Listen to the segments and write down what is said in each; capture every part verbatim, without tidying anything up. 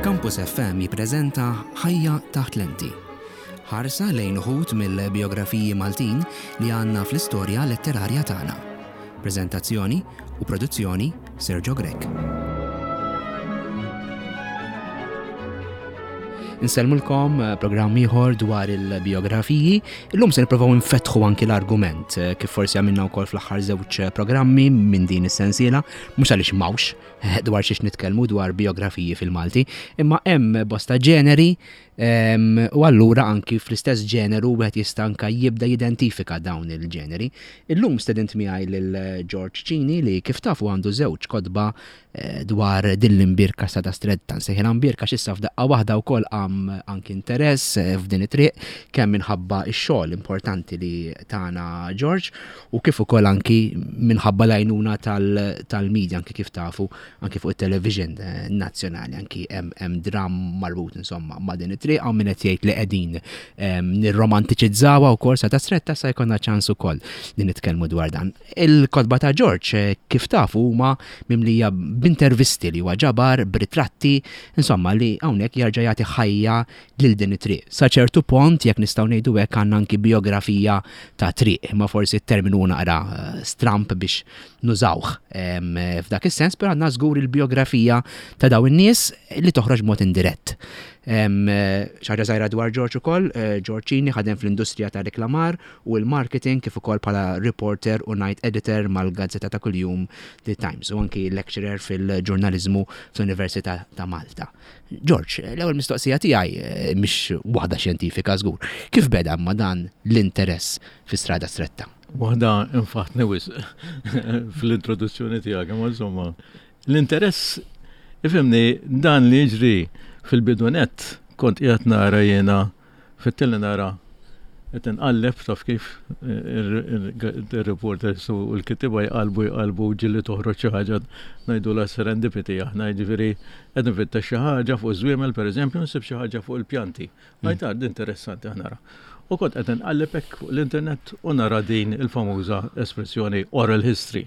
Campus F M jippreżenta Ħajja taħt lenti. Ħarsa lejn uħud mill-biografiji Maltin li għandna fl-istorja letterarja tagħna. Preżentazzjoni u produzzjoni, Sergio Grech. Insellmulkom, eh, programm ieħor dwar il-biografiji. Illum se nippruvaw nfetħu anki l-argument eh, kif forsi għamilna wkoll fl-aħħar żewġ programmi minn din is-sensiela, mhux għaliex m'hawnx eh, dwar xiex nitkellmu dwar biografiji fil-Malti, imma hemm bosta ġeneri em, u allura anki fl-istess ġeneru wieħed jista' anka jibda jidentifika dawn il-ġeneri. Illum stedint miegħi lil George Cini li, kif tafu, għandu żewġ kotba eh, dwar din l-imbierka Strada Stretta. Nsejħilha imbierka x'issa f'daqqa waħda wkoll qam anki interess eh, f'din it-triq, kemm minħabba x-xogħol importanti li tana George u kif ukoll anki minħabba l-għajnuna tal-media, anki kif tafu anki fuq it-television eh, nazzjonali anki hemm dram marbut insomma ma' din it-triq. Hawn min qed jgħid li qegħdin nirromantiċizzawha wkoll Strada Stretta. Sa jkollna ċans ukoll li nitkellmu dwar dan. Il-kotba ta' George, eh, kif tafu, huma mimlija b'intervisti li huwa ġabar, b'ritratti, insomma li hawnhekk jarġa' jagħti ħajja lil din it-triq. Sa ċertu pont, jekk nistgħu ngħidu hekk, għandna anki biografija ta' triq, imma forsi t-terminu naqra eh, stramp biex nużawh f'dak is-sens, però għandna żgur il-biografija ta' dawn in-nies li toħroġ mod indirett. Xi ħaġa żgħira dwar George ukoll, eh, George Cini ħadem fl-industrija ta' reklamar u l-marketing, kif ukoll bħala reporter u night editor mal-gazzetta ta' kuljum The Times u anki lecturer fil-ġurnalizmu fl-Università ta' Malta. George, l-ewwel mistoqsija tiegħi eh, mhix waħda xjentifika żgur. Kif beda ma dan l-interess fi Strada Stretta? Waħda infaħtni wisq fl-introduzzjoni tiegħek, imma insomma, l-interess, ifhimni, dan li jiġri fil-bidu nett kont qiegħed nara jiena fit-tele, nara qed inqalleb, taf kif il-reporters u l-kittieba jqalbu jqalbu, ġieli toħroġ xi ħaġa, ngħidu la serendipity aħna, jiġifieri qed nfittex xi ħaġa fuq żwiemel, pereżempju, nsib xi ħaġa fuq il-pjanti. Għajt interessanti nara. U kont qed inqalleb hekk fuq l-internet u nara din il-famuża espressjoni "oral history".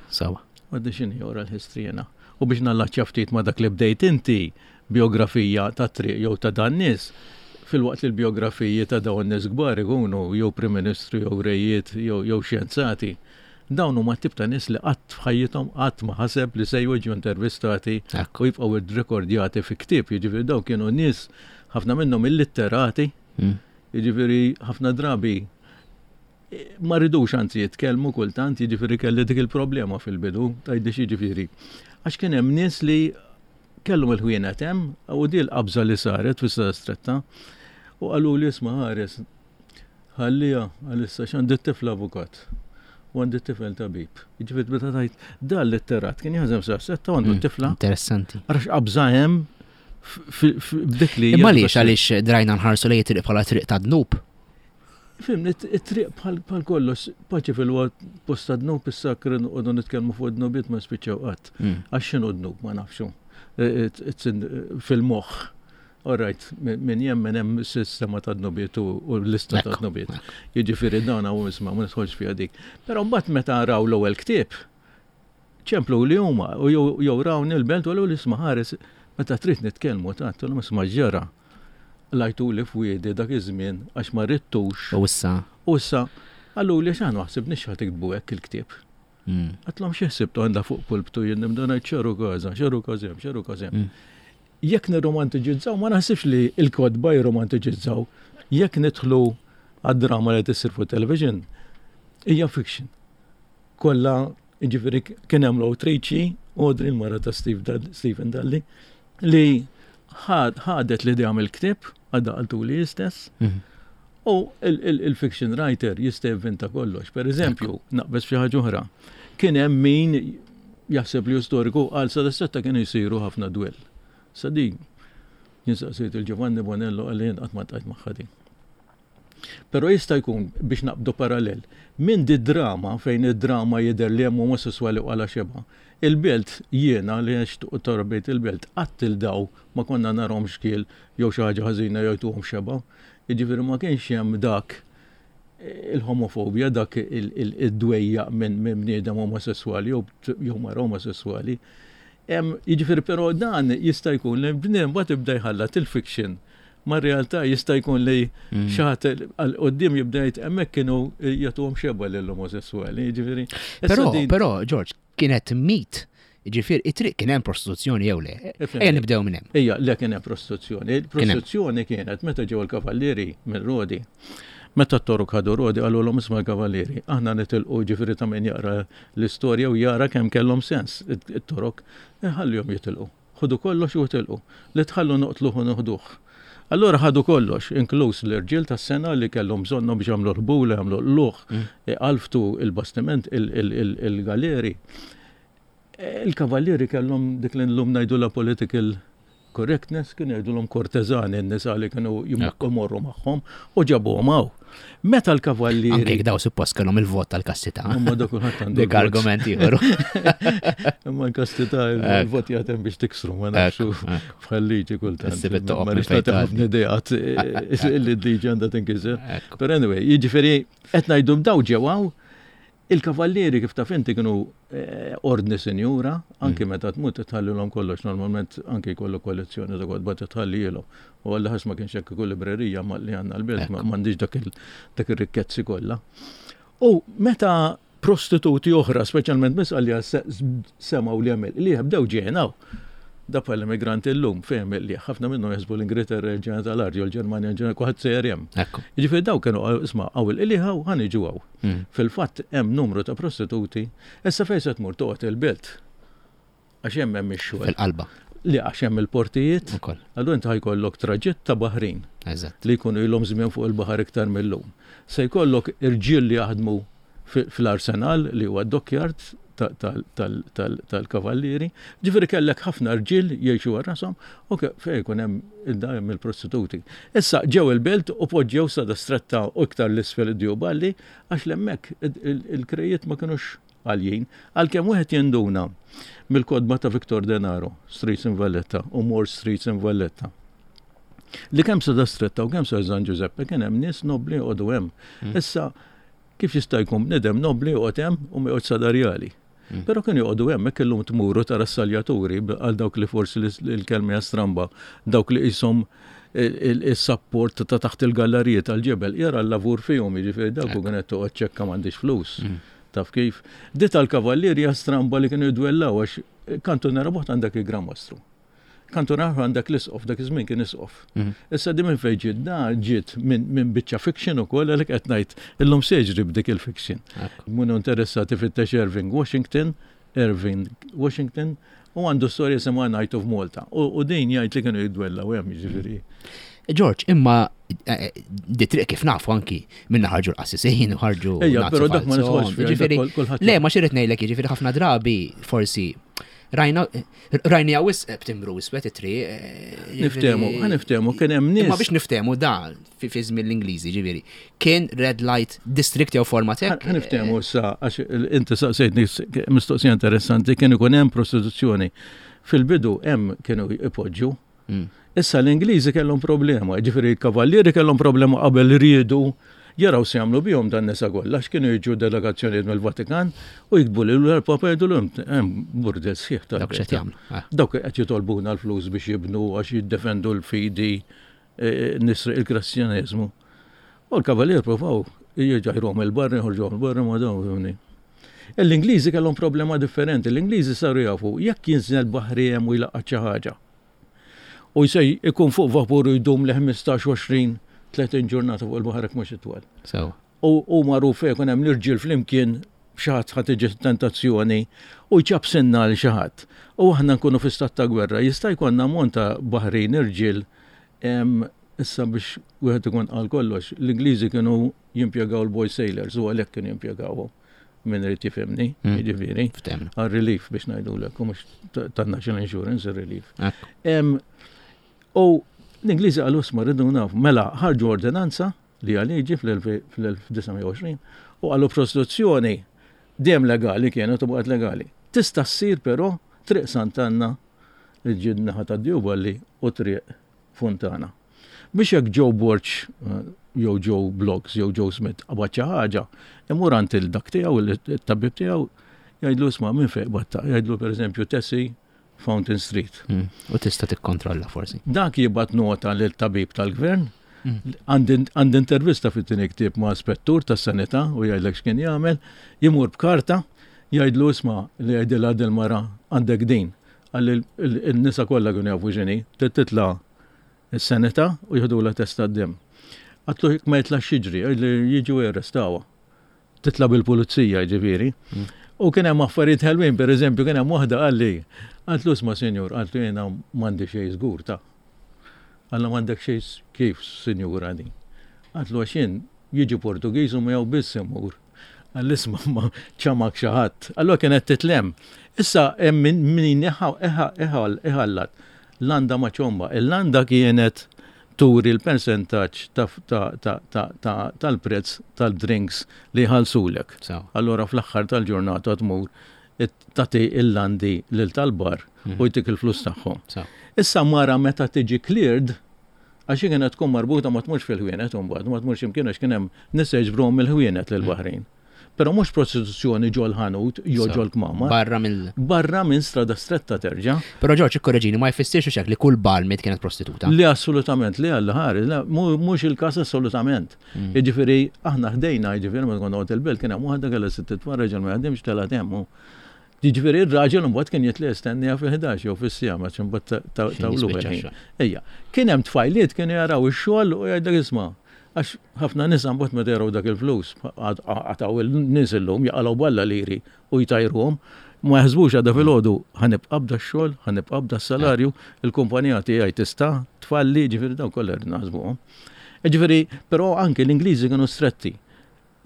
Sawa. Għaddi x'inhi oral history jena? U biex nallaċċja ftit ma dak li bdejt inti, biografija ta' triq jew ta' dan nies, filwaqt li l-biografiji ta' dawn nies kbar ikunu jew Prim Ministru jew rejiet jew xjenzati. Dawn huma tip ta' nies li qatt f'ħajjithom qatt ma ħaseb li se jiġu intervistati u jibqgħu rekordjati fi ktieb. Jiġifieri dawn kienu nies, ħafna minnhom illitterati, mm. jiġifieri ħafna drabi ma ridux anzi jitkellmu kultant, jiġifieri kelli dik il-problema fil-bidu, tgħidli jiġifieri. Għax kien hemm nies li kellhom il-ħwienet hemm u di l-qabża li saret fis Stretta u qalu li, "Isma' ħares, ħallija għalissa x'għandi tifla avukat u għandi tifel tabib." Jiġifieri meta tajt dan litterat kien jaħdem sa setta għandu mm, tifla. Interessanti. Għax qabża hemm b'dik li. Imma għaliex għaliex drajna nħarsu lejn triq bħala triq ta' dnub? Fim, it-triq bħal kollox, paċi fil-waqt posta dnub, issa noqogħdu nitkellmu fuq dnubiet ma spiċċaw qatt. Mm. Għax x'inhu dnub ma nafxu. Fil-moħħ. All right, min jemmen hemm sistema ta' dnubiet u l-lista ta' dnubiet. Jiġifieri dan hawn, isma', ma nidħolx fiha dik. Però mbagħad meta raw l-ewwel ktieb, ċemplu li huma u jew rawni l-Belt u l-isma' ħares, meta trid nitkellmu ta' isma' ġara lajtu li f'wiedi dak iż-żmien għax ma ridtux. U issa. U issa qallu li x'aħna ħsibniex ħa tiktbu hekk il-ktieb. Mm. Għedtlhom, "Xi ħsibtu, għandha fuq pulptu jien nibda ngħid x'għaru każa, x'għaru każem, x'għaru każem?" Mm. Jekk nirromantiġizzaw, ma naħsibx li l-kotba jirromantiġizzaw. Jekk nidħlu għad-drama li tissir fuq television, hija fiction. Kollha, jiġifieri kien hemm l-awtriċi, Audrey, l-mara ta' Stephen Dalli, li ħadet l-idea mill-ktieb, għadha qaltu li istess, mhm. u il-fiction writer jista' jivvinta kollox. Per eżempju, naqbeż xi ħaġa oħra. Kien hemm min jaħseb li storiku għal Strada Stretta kienu jsiru ħafna dwell. Sa din, jien saqsejt il-Giovanni Bonello, għalli qatt ma tajt magħha din. Però jista' jkun, biex naqbdu parallel, minn di drama fejn id-drama jidher li hemm omosessuali u għala xeba. Il-Belt, jiena li għext u torbejt il-Belt, qatt il-daw ma konna narhom xkiel jew xi ħaġa ħażina jew tuhom xeba. Jiġifieri ma kienx hemm dak il-homofobja, dak id-dwejja minn bniedem omosessuali jew mara omosessuali. Jiġifieri però dan jista' jkun li bniem mbagħad ibda jħallat il-fiction ma' realtà, jista' jkun li mm. xi ħadd għal quddiem jibda jgħid hemmhekk kienu jagħtuhom xebgħa lill-omosessuali, jiġifieri. Però, però, George, kienet mit. Ġifier, it-triq kien hemm prostituzzjoni jew le? Ejja nibdew minn hemm. Ejja, le, kien hemm prostituzzjoni. Il-prostituzzjoni kienet meta ġew il-kavallieri minn Rodi. Meta t-Torok ħadu Rodi, qalulhom, "Isma' l-kavallieri, aħna nitilqu." Ġifieri ta' min jaqra l-istorja u jara kemm kellhom sens it-Torok, ħallihom jitilqu. Ħudu kollox u jitilqu. Li tħallu noqtluh u noħduh. Allora ħadu kollox, inkluż l-irġiel tas-sengħa li kellhom bżonnhom biex jagħmlu l-ħbula, jagħmlu l-luħ, mm. qalftu il-bastiment, il-galeri. Il-kavallieri kellhom dik li llum ngħidu la political correctness, kienu jgħidulhom korteżani n-nisa li kienu jmorru magħhom u ġabuhom hawn. Meta l-kavallieri. Anke daw suppost kellhom il-vot tal-kastità. Imma dak kulħadd għandu. Dik argument ieħor. Imma l-kastità, il-vot jagħtem biex tiksru, ma nafx, bħal liġi kultant. Ma rridx nagħti ħafna ideat li d-liġi għandha tinkiser. But anyway, jiġifieri qed ngħidu daw ġewaw. Il-kavallieri, kif taf inti, kienu eh, ordni sinjura, anki mm. meta tmut tħallilhom kollox, normalment anki jkollu kollezzjoni ta' kotba tħallilhom. U għalla ħares ma kienx hekk ikun librerija ma li għandna l-belt, m'għandix dak ir-rikkezzi kollha. U meta prostituti oħra, speċjalment mis għalli semgħu li għamel, li bdew ġenaw. Da bħal immigranti llum, fejn li ħafna minnhom jaħsbu l-Ingilterra ġenna tal-art, jew l-Ġermanja ġenna, kulħadd sejjer hemm. Jiġifieri daw kienu, isma', hawn il-qligħ, ħa niġu hawn. Mm. Fil-fatt hemm numru ta' prostituti, issa fejn se tmur toqgħod il-belt? Għax hemm hemm ix-xogħol. Fil-qalba. Li għax hemm il-portijiet. Allura inti ħa jkollok traġitt ta' baħrin. Li jkunu ilhom żmien fuq il-baħar iktar mill-lum. Se jkollok irġiel li jaħdmu fl-arsenal li huwa dockyard tal-kavallieri. Ġifieri kellek ħafna rġiel jgħixu rashom u fejn jkun hemm hemm il-prostituti. Issa ġew il-belt u poġġew Strada Stretta u iktar l-isfel id-Djuballi, għax hemmhekk il-krejiet ma kinux għaljin. Għalkemm wieħed jinduna mill-kotba ta' Victor Denaro, Streets in Valletta u More Streets in Valletta, li kemm Strada Stretta u kemm sa San Giuseppe kien hemm nies nobli joqogħdu hemm. Mm. Issa kif jista' jkun bniedem nobli joqgħod hemm u ma joqgħodx sa Dar Rjali? Mm. Però kienu joqogħdu hemm, hekk illum tmuru tara s-saljaturi, għal dawk li forsi l-kelma stramba, dawk li qishom il-support ta' taħt il-galleriji tal-ġebel, jara l-lavur fihom, jiġifieri dawk u kienet toqgħod ċekka m'għandix flus. Mm. Taf kif? Di tal-kavallieri stramba li kienu jidwellaw għax kantuniera b'oħra għandek il-Gran Mastru. Kantuniera għandek l-isqof, dak iż-żmien kien isqof. Mhm. Issa di minn fejn ġiet? Da ġiet minn biċċa fiction ukoll, għalhekk qed ngħid illum se jiġri b'dik il-fiction. Munu interessati fittex Irving Washington, Irving Washington, u għandu storja jisimha Knight of Malta. U din jgħid li kienu jidwellaw hemm, jiġifieri. George, imma eh, di triq kif nafu anki minna ħarġu l-qassisin u ħarġu. Ejja, però dak ma nidħolx. Le, ma xirrit ngħidlek, jiġifieri ħafna drabi forsi rajna rajni għawis b'timbru iswed it-triq. Eh, niftemu, ħa niftemu, kien hemm nies. Ma biex niftemu da fi żmien l-Ingliżi, ġifieri. Kien red light district jew forma hekk. Ħa niftemu issa, għax inti saqsejtni mistoqsija interessanti, kien ikun hemm prostituzzjoni. Fil-bidu hemm kienu ipoġġu. Mm. Issa l-Ingliżi kellhom problema, ġifieri l-kavallieri kellhom problema qabel riedu jaraw se jagħmlu bihom dan nisa kollha, għax kienu jiġu delegazzjonijiet mill-Vatikan u jiktbu lil l-Papa, jgħidu hemm burdel sħiħ tal. Dawk x'qed jagħmlu. Ah. Dawk qed jitolbuna l-flus biex jibnu għax jiddefendu l-fidi, e, nisri il-Kristjaneżmu. U l-kavalier provaw jġajruhom il-barra, jħorġuhom il-barra, ma dawn. L-Ingliżi kellhom problema differenti. L-Ingliżi saru jafu jekk jinżel baħri hemm u jlaqgħat xi ħaġa. U jsej ikun fuq vapur u jdum li ħmistax, għoxrin, tletin ġurnata fuq il-baħar mhux itwal. U magħruf fejn ikun hemm l-irġiel flimkien, xi ħadd ħadd tiġi tentazzjoni u jċab sinna għal xi ħadd. U aħna nkunu fi stat ta' gwerra, jista' jkollna ammont ta' baħrin irġiel. Issa biex wieħed ikun qal kollox, l-Ingliżi kienu jimpjegaw l-boy sailors u għalhekk kienu jimpjegawhom, min irid jifhimni, mm. jiġifieri. Għal-relief biex ngħidulek, u mhux tan-National Insurance ir-relief. U l-Ingliżi qalu, "Isma', rridu nafu." Mela ħarġu ordinanza li għal-liġi fl-elf disa' mija u għoxrin u qalu prostituzzjoni dejjem legali kienet u baqgħet legali. Tista' ssir però Triq Sant'Anna li ġid naħa ta' Djuballi u Triq Fontana. Biex jekk Joe Borg eh, jew Joe Bloggs jew Joe Smith qabad xi ħaġa, imur għand il-dak tiegħu, il-tabib tiegħu, jgħidlu, "Isma', minn fejn batta?" Jgħidlu pereżempju Tessie Fountain Street. Mm. U tista' tikkontrolla forsi. Dak jibgħat nota lil tabib tal-gvern. Għandi intervista fit-tieni ktieb ma' spettur tas-sanità u jgħidlek x'kien jagħmel, jimur b'karta, jgħidlu isma' li jgħidilha dil-mara għandek din. Għalli il-nisa kollha kienu jafu x'inhi, titla' is-sanità u jieħdulha test tad-demm. Għatlu ma jitlax jiġri, li jiġu jarrestawha. Titla' bil-pulizija ġifieri. U kien hemm affarijiet ħelwin, pereżempju kien hemm waħda qalli, għatlu isma' sinjur, għatlu jiena m'għandi xejn żgur ta'. Għalla m'għandek xejn kif, sinjura din. Għatlu għax jien jiġi Portugiż u miegħu biss imur. Għalli isma' ma ċamak xi ħadd. Allura kienet titlem. Issa hemm min iħallat landa ma' ċomba. Il-landa kienet turi l-percentaġġ tal-prezz tal-drinks li ħalsulek. Allora fl-aħħar tal-ġurnata tmur tagħti il-landi lil tal-bar u jtik il-flus tagħhom. Issa mara meta tiġi cleared, għax kienet tkun marbuta ma tmurx fil-ħwienet imbagħad, ma tmurx imkien għax kien hemm nisa jiġbruhom mill-ħwienet lill-Baħrin. Però mhux prostituzzjoni ġol ħanut jew ġol kmamar. Barra mill Barra minn strada stretta terġa'. Però Ġorġ, ikkoreġini, ma jfissirx hekk li kull barmaid kienet prostituta. Li assolutament, li għalla ħari, mhux il-każ assolutament. Jiġifieri aħna ħdejna, jiġifieri meta konna il-belt kien hemm waħda kellha sitt tfal raġel ma jaħdimx telgħet hemm. Jiġifieri ir-raġel imbagħad kien jitli jistennija fil-ħdax jew fis-siegħa ma imbagħad tawlu. Ejja, kien hemm tfajliet kienu jaraw ix-xogħol u jgħidlek isma' għax ħafna nisa mbagħad meta jaraw dak il-flus, għataw il-nies illum jaqalgħu balla liri u jtajruhom, ma jaħsbux għadha filgħodu ħa nibqa' b'da x-xogħol, ħa nibqa' b'da s-salarju, il-kumpanija tiegħi tista' tfalli, ġifieri dawn kollha rrid naħsbuhom. Ġifieri, però anke l-Ingliżi kienu stretti.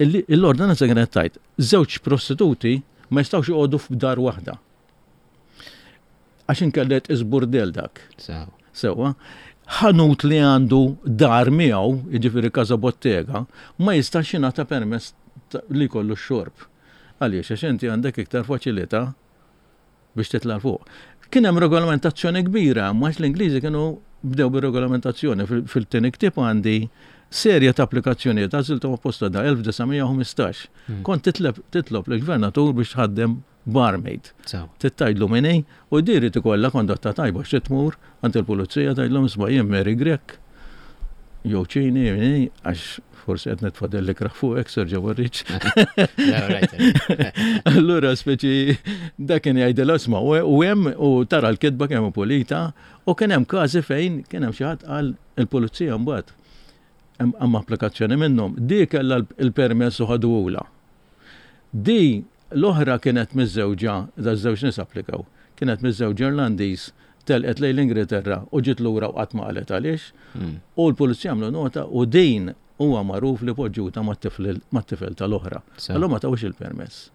L-ordinanza kienet tajt, żewġ prostituti ma jistgħux joqogħdu f'dar waħda. Għax inkellet iżburdel dak. Sewwa. Ħanut li għandu dar miegħu, jiġifieri casa bottega, ma jistax jingħata permess li jkollu x-xorb. Għaliex għax inti għandek iktar faċilità biex titla' 'l fuq. Kien hemm regolamentazzjoni kbira, ma l-Ingliżi kienu bdew bir-regolamentazzjoni. Fil-tieni ktieb għandi serje ta' applikazzjonijiet għażilthom apposta da elf disa' mija u ħmistax. Kont titlob lill-gvernatur biex tħaddem barmaid. Tittajlu minni u diri tikolla kondotta tajba xi tmur għand il-pulizija tgħidlhom isma' jien Mary Grech jew ċini minni għax forsi qed nitfadel li kraħ fuqek Sergio Borriċ. Allura speċi dak kien jgħidilha isma' u hemm u tara l-kitba kemm pulita u kien hemm każi fejn kien hemm xi ħadd qal il-pulizija mbagħad hemm applikazzjoni minnhom. Di kellha l-permess u ħaduhulha. Di l-oħra kienet miżżewġa, da żewġ nies applikaw, kienet miżżewġa Irlandiż, telqet lejn l-Ingilterra u ġiet lura u qatt ma qalet għaliex. U l-pulizija għamlu nota u din huwa magħruf li poġġuta mat-tifel tal-oħra. Allura ma tawx il-permess.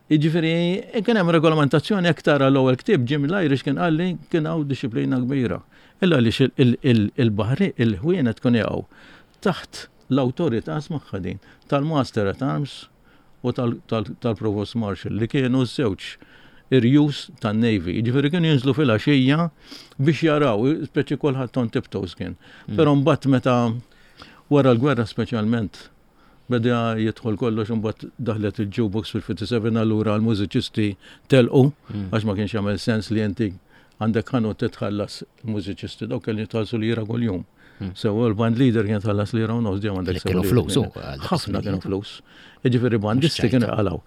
Jiġifieri kien hemm regolamentazzjoni aktar għall-ewwel ktieb Jim l-Irish kien qalli kien hawn dixxiplina kbira. Illa għaliex il-baħri il-ħwienet tkun jaqgħu taħt l-awtorità smagħha din tal-Master at Arms u tal-Provost Marshal li kienu żewġ irjus tan-Navy. Jiġifieri kienu jinżlu fil-għaxija biex jaraw, speċi kulħadd on tiptoes kien. Però mbagħad meta wara l-gwerra speċjalment beda jidħol kollox imbagħad daħlet il-jukebox fil-fifty-seven allura l-mużiċisti telqu għax ma kienx jagħmel sens li inti għandek ħanut titħallas il-mużiċisti dawk kelli jitħallsu lira kuljum. Sewa l-band leader kien tħallas lira u nofs dejjem għandek kienu flus. Ħafna kienu flus. Jiġifieri bandisti kienu jqalgħu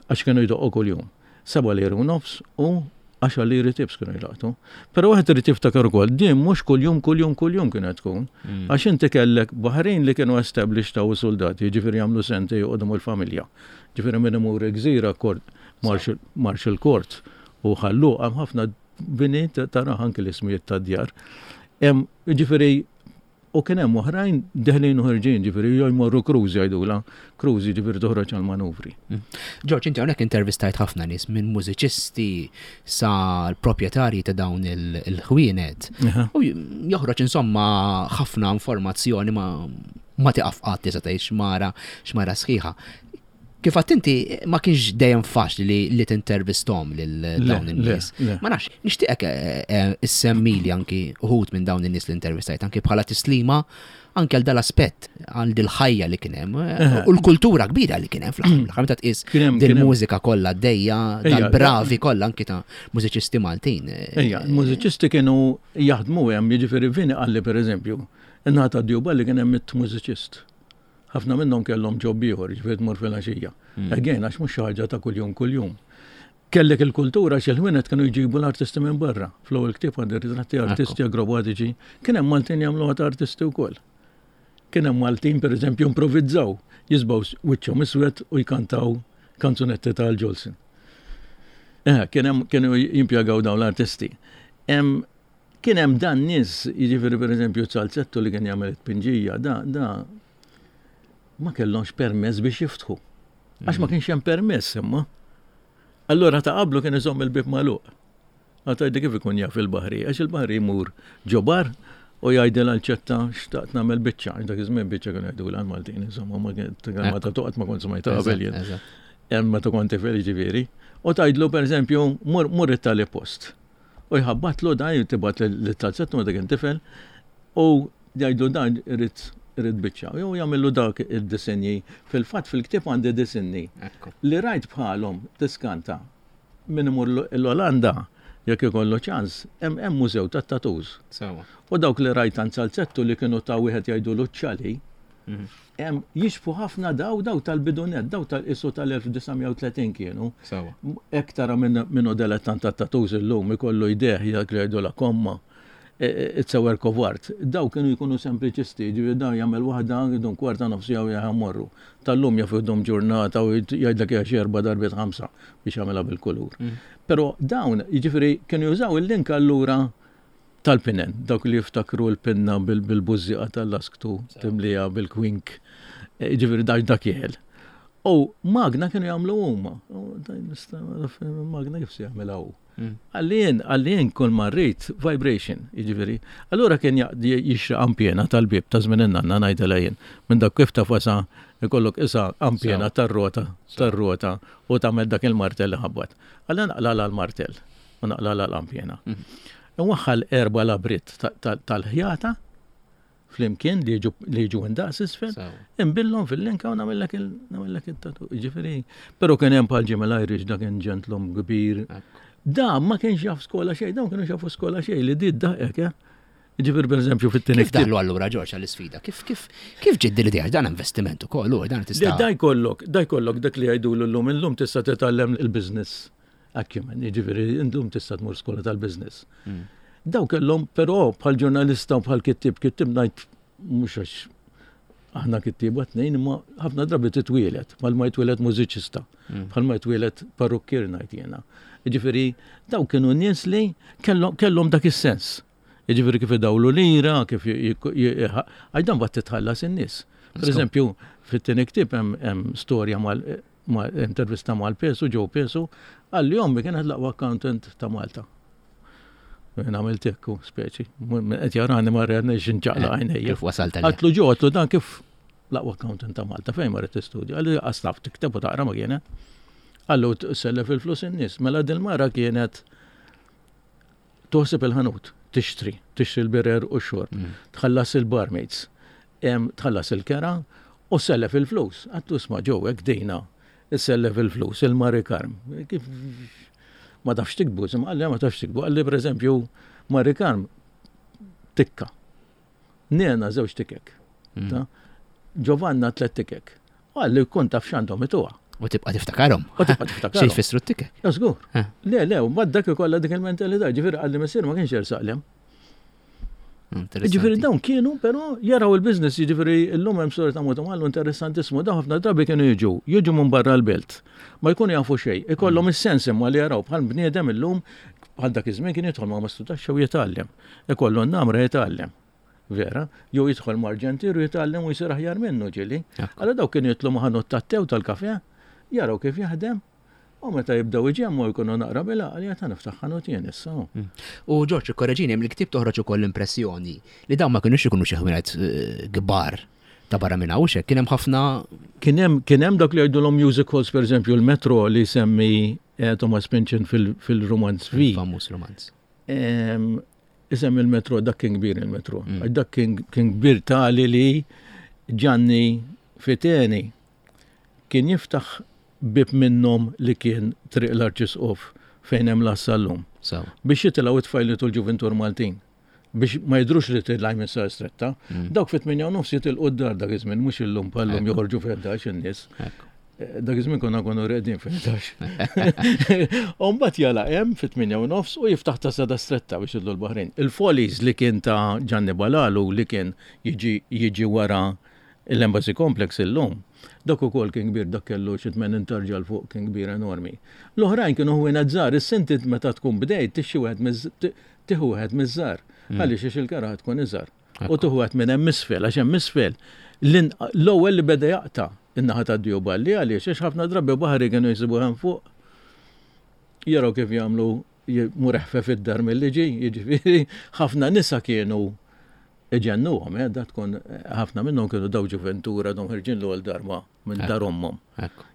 għax kienu jdoqqu kuljum. Seba' liri u nofs u għaxar liri tips kienu jlaqtu. Però wieħed irid jiftakar ukoll, din mhux kuljum kuljum kuljum kienet tkun. Għax inti kellek Baħrin li kienu established taw soldati, jiġifieri jagħmlu senti joqogħdu mal-familja. Ġifieri minn imur gżira Marshall Court u ħallu hemm ħafna bini tara anke l-ismijiet tad-djar. Jiġifieri u kien hemm oħrajn deħlin u ħerġin, ġifieri jew jmorru cruise jgħidulha, cruise jiġifieri toħroġ għal manuvri. Ġorġ, inti hawnhekk intervistajt ħafna nies minn mużiċisti sa l-proprjetarji ta' dawn il-ħwienet. U joħroġ insomma ħafna informazzjoni ma ma tiqaf qatt tista' tgħid xmara xmara sħiħa. Kif għedt inti ma kienx dejjem faċli li, li tintervistom lil dawn in-nies. Ma nafx, nixtieqek eh, eh, issemmili anki uħud minn dawn in-nies li intervistajt, anki bħala tislima anke għal dal-aspett, għal dil-ħajja li kien hemm eh, u l-kultura kbira li kien hemm fl-aħħar meta tqis dil-mużika kollha dejja, dal-bravi kollha anki ta' mużiċisti Maltin. Ejja, mużiċisti kienu jaħdmu hemm, jiġifieri Vini qalli pereżempju, in-naħa Djuba li kien hemm it-mużiċist. Ħafna minnhom kellhom job ieħor, jiġifieri tmur fil-għaxija. Mm. Again, għax mhux xi ħaġa ta' kuljum kuljum. Kellek il-kultura xi ħwienet kienu jġibu l-artisti minn barra. Fl-ewwel ktieb għandi ritratti artisti akrobatiċi, kien hemm Maltin jagħmluha ta' artisti wkoll. Kien hemm Maltin pereżempju improvizzaw, jiżbgħu wiċċhom iswed u jkantaw kanzunetti tal-Jolson. Eh, kien hemm kienu jimpjegaw dawn l-artisti. Kien hemm dan nies, jiġifieri pereżempju Salzettu li kien jagħmel it-tpinġija, da da ma kellhomx permess biex jiftħu. Għax ma kienx hemm permess imma. Allura ta' qablu kien iżomm il-bib magħluq. Għatajdi kif ikun jaf il-baħri, għax il-baħri jmur ġo bar u jgħidil għal-ċetta xtaqt nagħmel biċċa. Dak iż-żmien biċċa kienu jgħidu l Maltin, insomma, ma ma ta' toqgħod ma kont smajta qabel jien. Hemm meta kont tifel ġifieri. U tgħidlu pereżempju mur mur it-tali post. U jħabbatlu dan tibgħat lit-talzettu meta kien tifel u jgħidlu dan irid irid biċċa. Jew jagħmillu dak id-disinji. Fil-fatt fil-ktieb għandi disinji li rajt bħalhom tiskanta. Min imur l-Olanda jekk ikollu ċans, hemm hemm mużew tat-tattoos. U dawk li rajt għand Salzettu li kienu ta' wieħed jgħidulu ċali, hemm jixbhu ħafna daw daw tal-bidunet, daw tal-isu tal-elf disa' mija u tletin kienu. Hekk tara minn minnu dilettant tat-tattoos illum ikollu jdejh dak li jgħidu la komma. It's a work of art. Daw kienu jkunu sempliċisti, ġifieri daw jagħmel waħda jdum kwarta nofs jew jagħmorru. Tal-lum jaf jdum ġurnata u jgħidlek hija xi erba' darbiet ħamsa biex jagħmilha bil-kulur. Mm. Però dawn, jiġifieri kienu jużaw il-link allura tal-pinen, dawk li jiftakru l-pinna bil-bużżieqa tal-lasktu timlija bil-kwink, jiġifieri dak dak jeħel. U magna kienu jagħmlu huma. Magna kif se jagħmilha hu? Għallien, għallien kull ma rrid vibration, jiġifieri. Allura kien jixri ampjena tal-bib ta' żmien in-nanna ngħidilha jien. Minn dak kif tafasa ikollok isa ampjena tar-rota, tar-rota u tagħmel dak il-martell li ħabbat. Għalli naqla l-martell u naqla l-ampjena. Nwaħħal erba' labrit tal-ħjata flimkien li jiġu li jiġu indaqs isfel, imbillhom fil-linka u nagħmellek nagħmellek it-tatu. Jiġifieri, però kien hemm bħal Jim Irish dak kien ġentlom kbir. Da ma kienx jaf skola xejn, dawn kienu jafu skola xejn li di daqek, eh? Ġifieri pereżempju fit-tieni Kif daħlu allura Ġorġ għall-isfida? Kif kif kif ġiet din l-idea? Dan investiment ukoll, u dan tista' Da jkollok, da jkollok dak li jgħidulu llum, illum tista' titgħallem il-business acumen, jiġifieri illum tista' tmur skola tal-business. Mm. Daw kellhom però bħal ġurnalista u bħal kittib, kittib ngħid mhux għax aħna kittieba tnejn, imma ħafna drabi titwielet, bħal ma jitwielet mużiċista, Mm. bħal ma jitwielet parrukkier ngħid jiena. Jiġifieri daw kienu nies li kellhom kellhom dak is-sens. Jiġifieri kif idawlu lira, kif għajdan bat titħallas in-nies. Per eżempju, fit-tieni ktieb hemm storja mal intervista mal-Pesu, Joe Pesu, għalli ommi kienet l-aqwa accountant ta' Malta. Jien għamilt hekk, speċi. Qed jarani ma rridni x'inċaqla Eh, għajnejja. Kif wasalt għalija? Għatlu ġo, għatlu dan kif l-aqwa accountant ta' Malta, fejn marret tistudja? Għalli għaslaf tikteb u taqra ma kienet. Għallu sellef il-flus in-nies. Mela dil-mara kienet toħseb il-ħanut, tixtri, tixtri l-birer u x-xorb, Mm. tħallas il-barmaids, tħallas il-kera u sellef il-flus. Għattu sma ġew hekk dejna, sellef il-flus, il-Mari Karm. Kif ma tafx tikbu, imma għalli ma tafx tikbu, għalli per eżempju Mari Karm tikka. Nena żewġ tikek. Mm. Ta? Giovanna tliet tikek. Għalli kun taf x'għandhom ituha. U tibqa' tiftakarhom. U tibqa' tiftakarhom. Xi jfissru t-tikek? Ja, żgur. Eh. Le, le, u mbagħad dak ikollha dik il-mentalità, ġifieri għalli missier ma kienx jersaqlem. Interessanti. Ġifieri dawn kienu però jaraw il-business, jiġifieri llum hemm storja ta' Moto Mallu interessantissimu, dawn ħafna drabi kienu jiġu, jiġu minn barra l-belt. Ma jkunu jafu xejn, ikollhom Mm. is-sens imma li jaraw bħal bniedem illum bħal dak iż-żmien kien jidħol ma' mastudaxxa u jitgħallem. Ikollu n-namra jitgħallem. Vera, jew jidħol ma' arġentier u jitgħallem u jsir aħjar minnu ġieli. Ekku. Allora dawk kienu jitlu ma' ħanut tat-tew tal-kafe, jaraw kif jaħdem, u meta jibdew iġemmu jkunu naqra bila, għalija ta' niftaħ ħanut jien issa. Mm. U Ġorġ, ikkoreġini, hemm il-ktieb toħroġ ukoll l-impressjoni li dawn ma kinux ikunu xi ħwienet, eh, kbar ta' barra minn hawn kien hemm ħafna. Kien hemm kien hemm dak li jgħidulhom music halls, pereżempju l-Metro li semmi eh, Thomas Pynchon fil-romanz V. Famuż romanz. Isem il-Metro, dak kien kbir il-Metro. Mm. Dak kien kbir tali li Gianni Fiteni kien jiftaħ bib minnhom li kien Triq l-Arċisqof fejn hemm l-assallum. Biex jitilgħu it-tfajliet u l-ġuvintur Maltin. Biex ma jidrux li tilgħaj minn Sar Stretta. Mm. Dawk fit-tmienja u nofs jitilqu d-dar dak iż-żmien, mhux illum bħallum joħorġu fi in-nies. Eh, dak iż-żmien konna konu reqdin fi-ħdax. U mbagħad jala hemm fit-tmienja u nofs u jiftaħ ta' Sada Stretta biex jidlu l-Baħrin. Il-Follies li kien ta' Gianni Balalu li kien jiġi jiġi wara l-Embassy Complex illum. Dak ukoll kien kbir, dak kellu xi tmenin tarġa 'l fuq, kien kbir enormi. L-oħrajn kienu ħwienet żgħar, is-sinti meta tkun bdejt tixxi wieħed tieħu wieħed miż-żgħar. Mm. Għaliex għax il-kara tkun iżgħar. U tieħu wieħed minn hemm isfel, għax hemm isfel l-ewwel li beda jaqta' in-naħa tad-Djuballi għaliex għax ħafna drabi baħri kienu jsibu hemm fuq jaraw kif jagħmlu mur eħfef id-dar mill-liġi, jiġifieri ħafna nisa kienu iġennuhom, eh, da tkun ħafna minnhom kienu daw ġuventura dom ħirġin l-ewwel darba minn dar ommhom.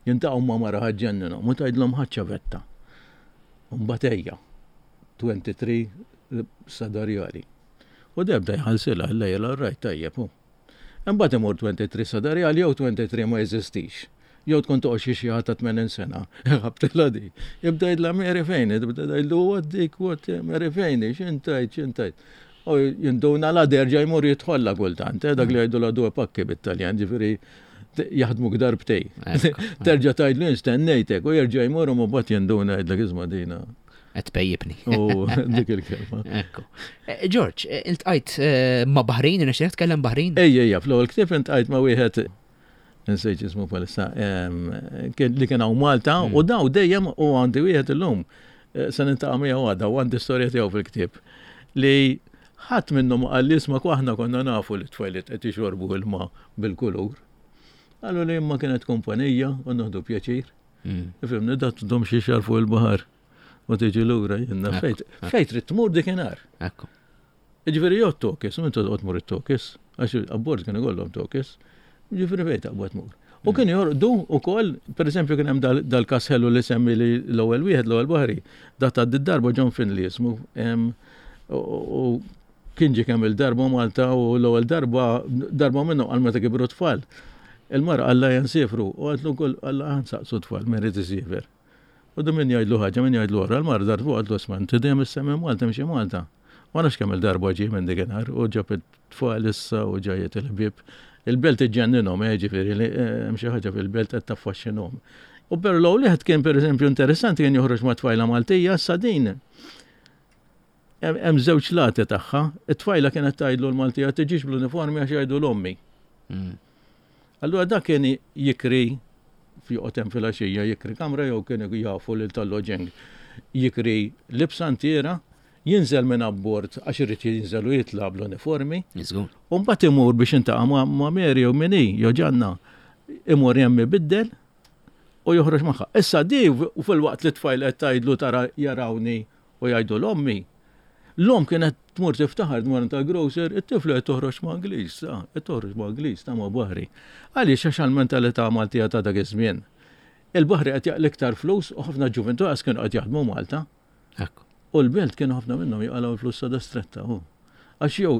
Jintaqgħu ma' mara ħaġġenninhom u tgħidlhom ħaġġa vetta. Mbagħad ejja tlieta u għoxrin sadarjali. U debda jħallsilha l-lejla rajt tajjeb hu. Imbagħad imur tlieta u għoxrin sadarjali jew tlieta u għoxrin ma jeżistix. Jew tkun toqgħod xi xi ta' tmenin sena. Ħabtilha di. Jibda jgħidla Mary fejn, jibda jgħidlu what dik, what Mary fejn, x'intajt, x'intajt. U jinduna la derġa jmur jidħolla kultant, eh, dak li jgħidu la due pakki bit-Taljan, ġifieri jaħdmu darbtej. Terġa' tgħidlu stennejtek u jerġa' jmur u mbagħad jinduna jgħidlek isma' dina. Qed pejjibni. U dik il-kelma. Ekku. Eh, George, eh, iltqajt ma' Baħrin, irnexxielek tkellem Baħrin? Ejja, ejja, fl-ewwel ktieb iltqajt ma' wieħed nsejt ismu palissa, li kien hawn Malta mm. u daw dejjem u għandi wieħed illum se nintaqa' miegħu għada u għandi storja tiegħu fil-ktieb li ħadd minnhom qal li isma' aħna konna nafu li tfajliet qed jixorbu ilma bil-kulur. Qalu li imma kienet kumpanija u nieħdu pjaċir. Mm. Ifhimni dat dom xi xar fuq il-baħar u tiġi lura jenna fejt. Fejt trid tmur dikinhar. Ekku. Ġifieri jew tokis, u intu toqgħod tmur it-tokis, għax abbord kien ikollhom tokis, ġifieri fejn taqbad tmur. U kien jorqdu ukoll, pereżempju kien hemm dal-każ ħelu li semmi li l-ewwel wieħed, l-ewwel baħri, dat ta' darba John Finley jismu, u kien ġie kemm il-darba Malta u l-ewwel darba darba minnhom għal meta kibru tfal. Il-mara qalla jansifru u għatlu kull qalla ħansaqsu tfal min irid isiefer. U du min jgħidlu ħaġa, min jgħidlu oħra, l-mara dar fuq għatlu isma' inti dejjem issemmi Malta mxi Malta. Ma nafx kemm il-darba ġie minn dikinhar u ġab it-tfal issa u ġajiet il-ħbieb. Il-belt iġġenninhom, eh, ġifieri li hemm xi ħaġa fil-belt qed taffaxxinhom. U per l wieħed kien pereżempju interessanti kien joħroġ ma' tfajla Maltija sa din. Hemm żewġ lati tagħha. It-tfajla kienet tgħidlu l-Maltija tiġix bl-uniformi għax jgħidu l-ommi. Mm. Allura dak kien jikri joqgħod hemm filgħaxija jikri kamra jew kien jafu lil tal-loġeng jikri libsa ntiera, jinżel minn abbord għax irid jinżel u jitla' bl-uniformi. U mbagħad imur biex intaqa' ma' Mary jew min hi jew Ġanna imur hemm ibiddel u joħroġ magħha. Issa di u fil-waqt li tfajl qed tgħidlu tara jarawni u jgħidu l-ommi. L-om kienet tmur tiftaħar tmur tal-grocer, it-tifla qed toħroġ ma' Ingliż, qed toħroġ ma' Ingliż ta' ma' baħri. Għaliex għax għall-mentalità Maltija ta' dak iż-żmien. Il-baħri qed jaqli iktar flus u ħafna ġuventu għas kienu qed jaħdmu Malta. U l-belt kienu ħafna minnhom jaqalgħu l-flus sada stretta hu. Għax jew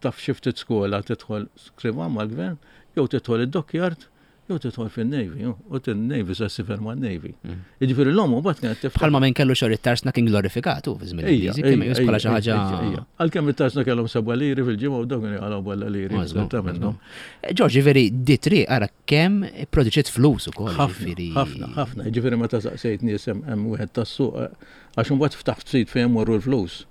taf xi ftit skola tidħol skrivan mal-gvern, jew tidħol id-dockyard, jew tidħol fin-Navy, u tin-Navy sa sifer man-Navy. Mm. Jiġifieri l-omm mbagħad kienet tiftaħ. Bħalma min kellu xogħol it-tarsna kien glorifikatu fi żmien il-Ingliżi, kien meqjus bħala xi ħaġa. Għalkemm it-tarsna kellhom seba' liri fil-ġimgħa u dawk kienu jaqalgħu balla liri. Ta' minnhom. Eh, George, ġifieri di triq ara kemm produċiet flus ukoll. Ħafna, ħafna, ħafna. Ġifieri meta saqsejt nies hemm wieħed tas-suq għax imbagħad ftaħt sit fejn morru l-flus.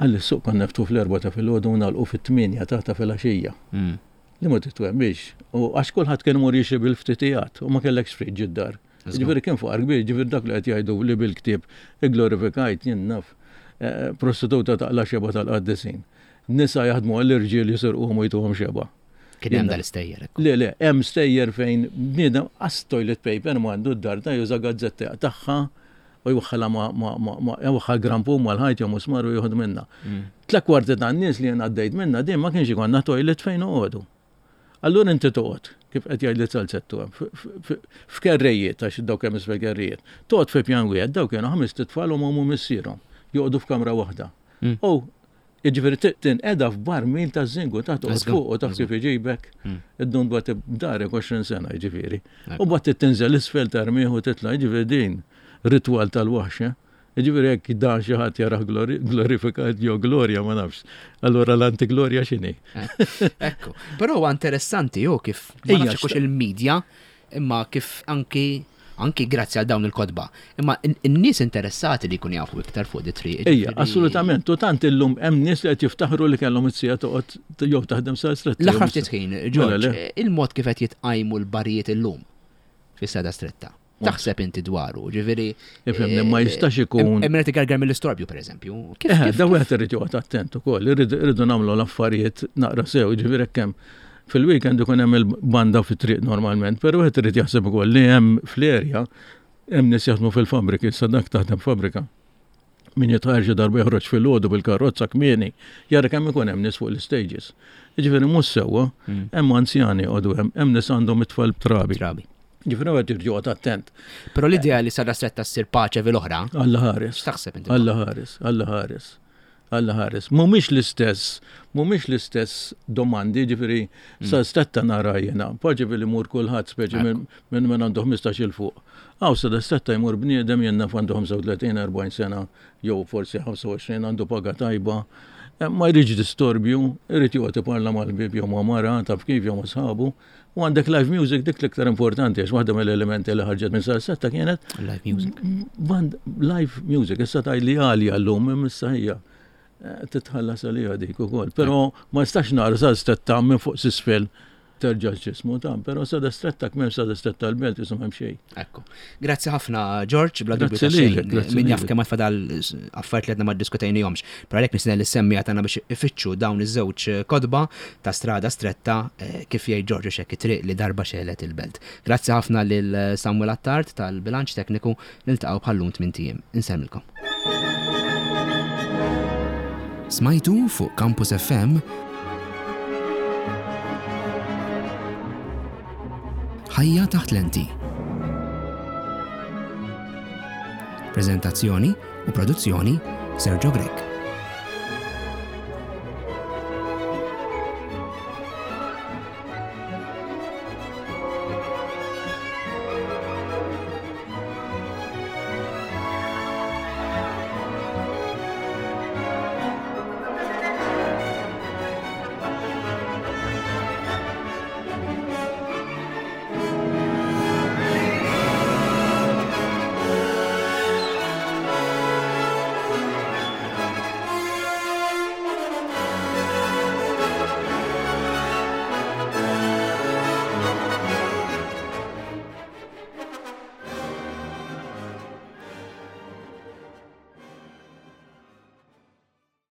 Għalli s-suq konna neftu fl-erbgħa ta' filgħodu u nagħlqu fit-tmienja ta' ta' filgħaxija. Mm. Li ma titwemmix. U għax kulħadd kien imur jixri bil-ftitijat u ma kellekx friġġ id-dar. Ġifieri kien faqar kbir, ġifieri dak li qed jgħidu li bil-ktieb igglorifikajt jien naf eh, prostituta taqla xeba tal-qaddisin. Nisa jaħdmu għall-irġiel jisirquhom u jtuhom xeba. Kien hemm dal-istejjer. Le, le, hemm stejjer fejn bniedem qas toilet paper m'għandu d-dar ta' juża gazzetta tagħha u jwaħħalha ma ma ma ma jwaħħal grampun mal-ħajt jew musmar u jieħu minnha. Mm. Tla kwarti tan-nies li jien għaddejt minnha din ma kienx ikollna toilet fejn noqogħdu. Allura inti toqgħod, kif qed jgħid li salzettu hemm, f'kerrejiet, għax dawk hemm isfel kerrejiet. Toqgħod fi pjan wieħed, dawk kienu ħames tfal u m'omm u missierhom, joqogħdu f'kamra waħda. U jiġifieri tinqeda f'barmil ta' żingu ta' toqgħod fuq u taf kif iġibek, id-dun bat darek għoxrin sena jiġifieri. U bat tinżel isfel tarmih u titla' jiġifieri din ritwal tal-waħx. Jiġifieri jekk dan xi ħadd jarah glorifikat jew glorja ma nafx. Allura l-antiglorja x'inhi? Ekku. Però huwa interessanti hu kif ma nafx hux il-medja imma kif anki anki grazzi għal dawn il-kotba. Imma n-nies interessati li jkun jafu iktar fuq di triq. Ejja, assolutament. U tant illum hemm nies li qed jiftaħru li kellhom it-sija toqgħod jew taħdem sa stretta. L-aħħar ftit ħin, Ġorġ, il-mod kif qed jitqajmu l-barijiet illum fis-Strada Stretta. Taħseb inti dwaru, ġifieri. Ifhimni, ma jistax ikun. Hemm qed igargar mill-istorbju pereżempju. Eh, da wieħed irid joqgħod attent ukoll, irridu nagħmlu l-affarijiet naqra sew, ġifieri hekk hemm fil-weekend ikun hemm il-banda fit-triq normalment, però wieħed irid jaħseb ukoll li hemm fl-erja hemm nies jaħdmu fil-fabbriki, issa dak taħdem fabbrika. Min jitħarġ xi darba joħroġ fil-għodu bil-karozza kmieni, jara kemm ikun hemm nies fuq l-istages. Jiġifieri mhux sewwa, hemm anzjani jqogħdu hemm, hemm nies għandhom it-tfal trabi. Trabi. Ġifieri wieħed irid joqgħod attent. Però l-idea li Strada Stretta ssir paċe fil-oħra. Alla ħares. X'taħseb inti? Alla ħares, Alla ħares. Alla ħares. Mhumiex l-istess, mhumiex l-istess domandi, ġifieri sa stretta nara jiena, paċe li mur kulħadd speċi minn minn għandu ħmistax il fuq. Aw Strada Stretta jmur bniedem jenna għandu ħamsa u tletin, erbgħin sena, jew forsi ħamsa u għoxrin għandu paga tajba. Ma jridx distorbju, irid joqgħod iparla mal-bib jew ma' mara, taf kif jew ma' sħabu. U għandek live music dik l-iktar importanti, għax waħda mill-elementi li ħarġet minn Strada Stretta kienet live music. Band live music, issa tgħid li għalja llum issa hija titħallas għalija dik ukoll. Però ma nistax nara Strada Stretta minn fuq s'isfel terġa' ġismu ta' però Strada Stretta kemm Strada Stretta l-belt isu m'hemm xejn. Ekku. Grazzi ħafna Ġorġ, bla dubju ta' xejn. Min jaf kemm fadal affarijiet li għadna ma ddiskutejnihomx. Però għalhekk nistenna li semmija tagħna biex ifittxu dawn iż-żewġ kotba ta' Strada Stretta kif jgħid Ġorġ xekk it-triq li darba xelet il-belt. Grazzi ħafna lil Samuel Attard tal-bilanċ tekniku, niltaqgħu bħallum tmien ijiem. Insemmilkom. Smajtu fuq Campus F M Ħajja taħt lenti. Prezentazzjoni u produzzjoni Sergio Grech.